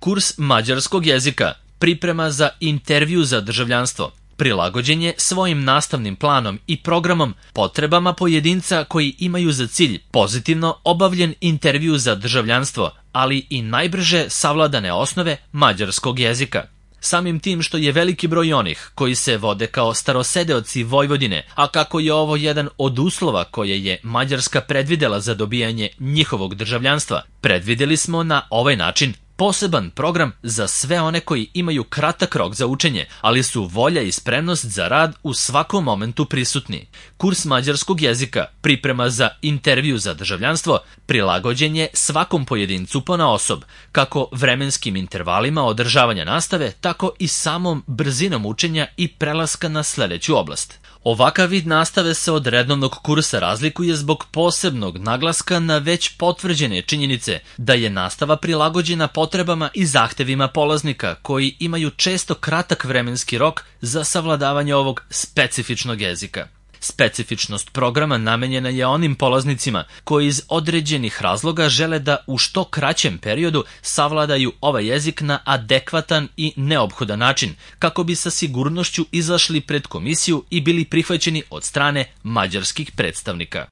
Kurs mađarskog jezika, priprema za intervju za državljanstvo, prilagođen je svojim nastavnim planom i programom potrebama pojedinca koji imaju za cilj pozitivno obavljen intervju za državljanstvo, ali i najbrže savladane osnove mađarskog jezika. Samim tim što je veliki broj onih koji se vode kao starosedeoci Vojvodine, a kako je ovo jedan od uslova koje je Mađarska predvidela za dobijanje njihovog državljanstva, predvideli smo na ovaj način poseban program za sve one koji imaju kratak rok za učenje, ali su volja i spremnost za rad u svakom momentu prisutni. Kurs mađarskog jezika, priprema za intervju za državljanstvo, prilagođen je svakom pojedincu ponaosob, kako vremenskim intervalima održavanja nastave, tako i samom brzinom učenja i prelaska na sledeću oblast. Ovakav vid nastave se od redovnog kursa razlikuje zbog posebnog naglaska na već potvrđene činjenice da je nastava prilagođena potrebama i zahtevima polaznika koji imaju često kratak vremenski rok za savladavanje ovog specifičnog jezika. Specifičnost programa namenjena je onim polaznicima koji iz određenih razloga žele da u što kraćem periodu savladaju ovaj jezik na adekvatan i neophodan način, kako bi sa sigurnošću izašli pred komisiju i bili prihvaćeni od strane mađarskih predstavnika.